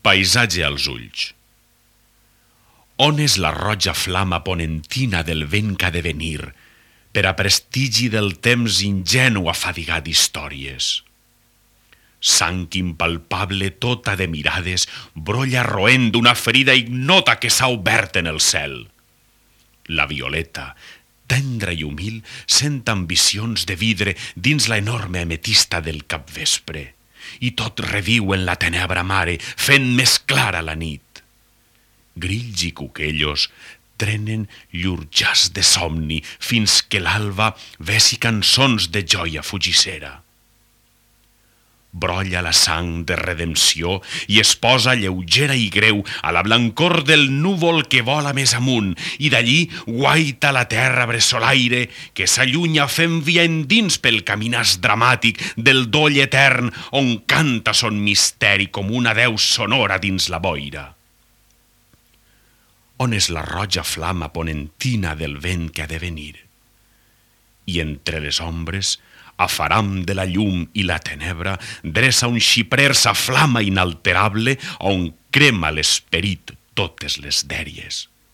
Paisatge als ulls. On és la roja flama ponentina del vent que ha de venir, per a prestigi del temps ingenu afadigat d'històries? Sang impalpable tota de mirades brolla roent d'una ferida ignota que s'ha obert en el cel. La violeta, tendra i humil, sent ambicions de vidre dins la enorme ametista del capvespre, i tot reviu en la tenebra mare, fent més clara la nit. Grills i cuquellos trenen llur jaç de somni fins que l'alba vesi cançons de joia fugissera. Brolla la sang de redempció i es posa lleugera i greu a la blancor del núvol que vola més amunt, i d'allí guaita la terra bressolaire que s'allunya fent via endins pel caminàs dramàtic del doll etern on canta son misteri com una deu sonora dins la boira. On és la roja flama ponentina del vent que ha de venir? I entre les ombres, afaram de la llum i la tenebra, dreça un xiprer sa flama inalterable on crema l'esperit totes les dèries.